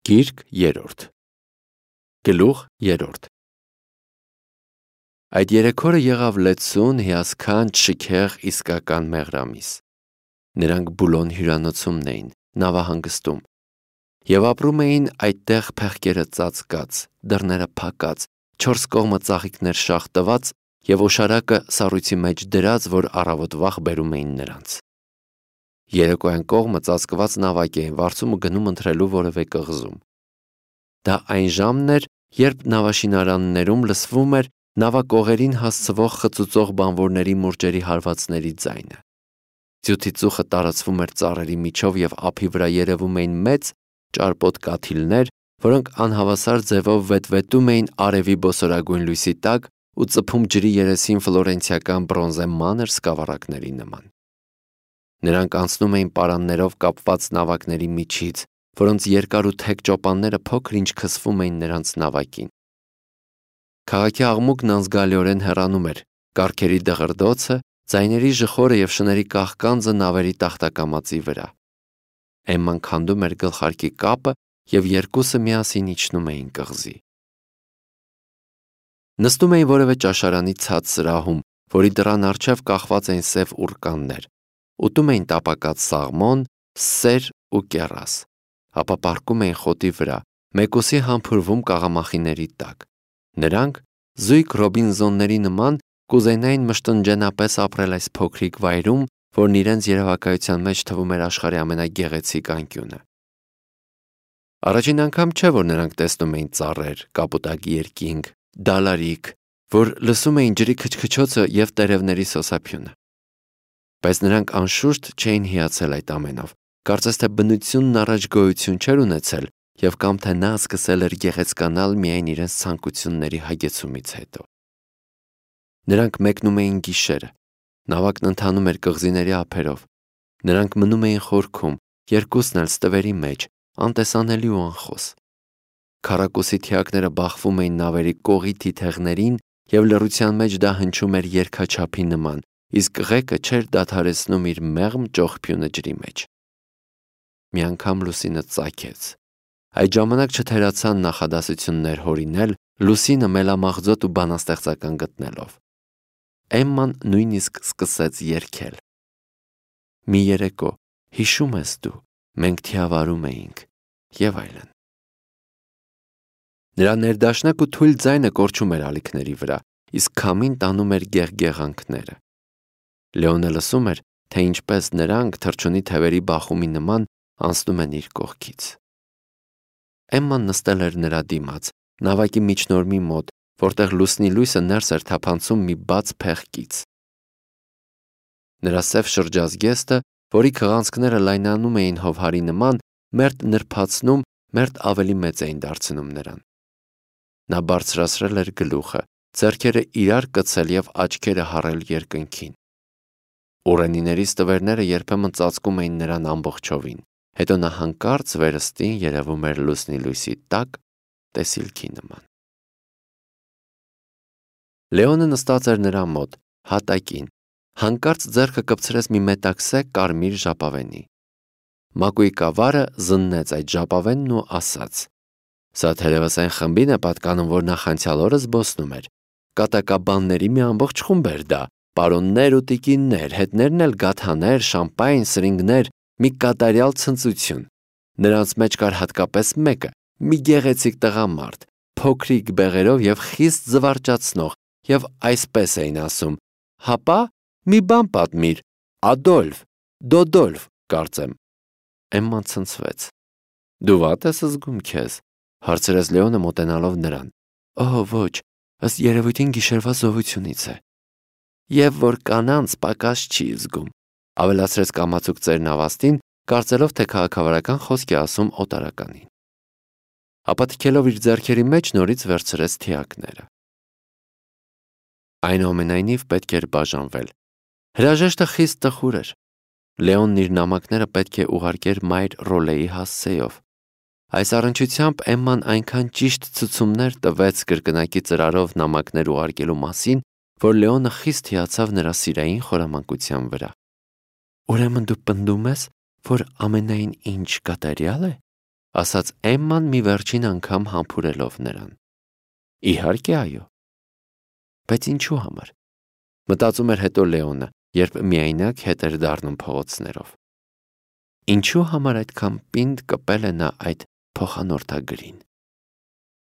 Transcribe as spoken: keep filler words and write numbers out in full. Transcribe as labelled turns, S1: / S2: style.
S1: Գիրք երրորդ Գլուխ երրորդ Այդ երեք օրը եղավ լեցուն, հիասքանչ, շքեղ, իսկական մեղրամիս։ Նրանք Բուլոն հյուրանոցումն էին, նավահանգստում, և ապրում էին այդտեղ փեղկերը ծածկած, դռները փակած, չորս կողմը ծաղիկներ շաղ տված և օշարակը սառույցի մեջ դրած, որ առավոտ վաղ բերում էին նրանց։ Երեկոյան կողմը ծածկված նավակ էին վարձում ու գնում ընթրելու որևէ կղզում։ Դա այն ժամն էր, երբ նավաշինարաններում լսվում էր նավակողերին հասցվող խծուծող բանվորների մուրճերի հարվածների ձայնը։ Ձյութի ծուխը տարածվում էր ծառերի միջով և ափի վրա երևում էին մեծ, ճարպոտ կաթիլներ, որոնք անհավասար ձևով վետվետում էին արևի բոսորագույն լույսի տակ ու ծփում ջրի երեսին ֆլորենցիական բրոնզե մանր սկավառակների նման։ Նրանք անցնում էին պարաններով կապված նավակների միջից, որոնց երկար ու թեք ճոպանները փոքր-ինչ քսվում էին նրանց նավակին։ Քաղաքի աղմուկն անզգալիորեն հեռանում էր, կառքերի դղրդոցը, ձայների ժխորը և շների կաղկանձը նավերի տախտակամածի վրա։ Էմման քանդում էր գլխարկի կապը, և երկուսը միասին իջնում էին կղզի։ Նստում էին որևէ ճաշարանի ցած սրահում, որի դռան առջև կախված էին սև ուռկաններ, ուտում էին տապակած սաղմոն, սեր ու կեռաս, ապա պառկում էին խոտի վրա, մեկուսի համբուրվում կաղամախիների տակ։ Նրանք, զույգ Ռոբինզոնների նման, կուզենային մշտնջենապես ապրել այս փոքրիկ վայրում, որն իրենց երևակայության մեջ թվում էր աշխարհի ամենագեղեցիկ անկյունը։ Առաջին անգամ չէ, որ նրանք տեսնում էին ծառեր, կապուտակ երկինք, դալարիկ, որ լսում էին ջրի քչքչոցը և տերևների սոսափյունը։ Բայց նրանք անշուշտ չէին հիացել այդ ամենով, կարծես թե բնությունն առաջ գոյություն չէր ունեցել և կամ թե նա սկսել էր գեղեցկանալ միայն իրենց ցանկությունների հագեցումից հետո։ Նրանք մեկնում էին գիշերը, նավակն ընթանում էր կղզիների ափերով, նրանք մնում էին խորքում, երկուսն էլ ստվերի մեջ, անտեսանելի ու անխոս։ Քառակուսի թիակները բախվում էին նավերի կողի թիթեղներին, և լռության մեջ դա հնչում էր երգաչափի նման, իսկ ղեկը չէր դադարեցնում իր մեղմ ճողփյունը ջրի մեջ։ Մի անգամ լուսինը ծագեց։ Այդ ժամանակ չթերացան նախադասություններ հորինել, լուսինը մելամաղձոտ ու բանաստեղծական գտնելով։ Էմման նույնիսկ սկսեց երգել. «Մի երեկո, հիշո՞ւմ ես դու, մենք թիավարում էինք» և այլն։ Նրա ներդաշնակ ու թույլ ձայնը կորչում էր ալիքների վրա, իսկ քամին տանում էր գեղգեղանքները։ Լեոնը լսում էր, թե ինչպես նրանք, թռչունի թևերի բախումի նման, անցնում են իր կողքից։ Էմման նստել էր նրա դիմաց, նավակի միջնորմի մոտ, որտեղ լուսնի լույսը ներս էր թափանցում մի բաց փեղկից։ Նրա սև շրջազգեստը, որի քղանցքները լայնանում էին հովհարի նման, մերթ նրբացնում, մերթ ավելի մեծ էին դարձնում նրան։ Նա բարձրացրել էր գլուխը, ձեռքերը իրար կցել և աչքերը հառել երկնքին։ Ուռենիների ստվերները երբեմն ծածկում էին նրան ամբողջովին, հետո նա հանկարծ վերստին երևում էր լուսնի լույսի տակ, տեսիլքի նման։ Լեոնը նստած էր նրա մոտ, հատակին, հանկարծ ձեռքը կպցրեց մի մետաքսե կարմիր ժապավենի։ Մակուի կավարը զննեց այդ ժապավենն ու ասաց. «Սա թերևս այն խմբին է պատկանում, որ նախանցյալ օրը զբոսնում էր։ Կատակաբանների մի ամբողջ խումբ էր դա, պարոններ ու տիկիններ, հետներն էլ գաթաներ, շամպայն, սրինգներ, մի կատարյալ ցնծություն։ Նրանց մեջ կար հատկապես մեկը, մի գեղեցիկ տղամարդ, փոքրիկ բեղերով և խիստ զվարճացնող, և այսպես էին ասում. «Հապա, մի բան պատմիր, Ադոլֆ, Դոդոլֆ, կարծեմ»։ Էմման ցնցվեց։ «Դու վատ ես զգում քեզ», հարցրեց Լեոնը մոտենալով նրան։ «Օհ, ոչ, ըստ երևույթին գիշերվա զովությունից է»։ «Եվ որ կանանց պակաս չի զգում», ավելացրեց կամացուկ ծերնավաստին, կարծելով, թե քաղաքավարական խոսք է ասում օտարականին։ Ապա թքելով իր ձեռքերի մեջ նորից վերցրեց թիակները։ Այնուամենայնիվ պետք էր բաժանվել։ Հրաժեշտը խիստ տխուր էր։ Լեոնն իր նամակները պետք է ուղարկեր մայր Ռոլեի հասցեով։ Այս առնչությամբ Էմման այնքան ճիշտ ցուցումներ տվեց կրկնակի ծրարով նամակներ ուղարկելու մասին, որ Լեոնը խիստ հիացավ նրա սիրային խորամանկության վրա։ «Ուրեմն դու պնդում ես, որ ամենայն ինչ կատարյալ է»։ ասաց Էմման մի վերջին անգամ համբուրելով նրան։ Իհարկե այո։ Բայց ինչու համար։ Մտածում էր հետո Լեոնը, երբ միայնակ հետ էր դառնում փողոցներով։ Ինչու համար այդքան պինդ կպել է նա այդ փոխանորդագրին։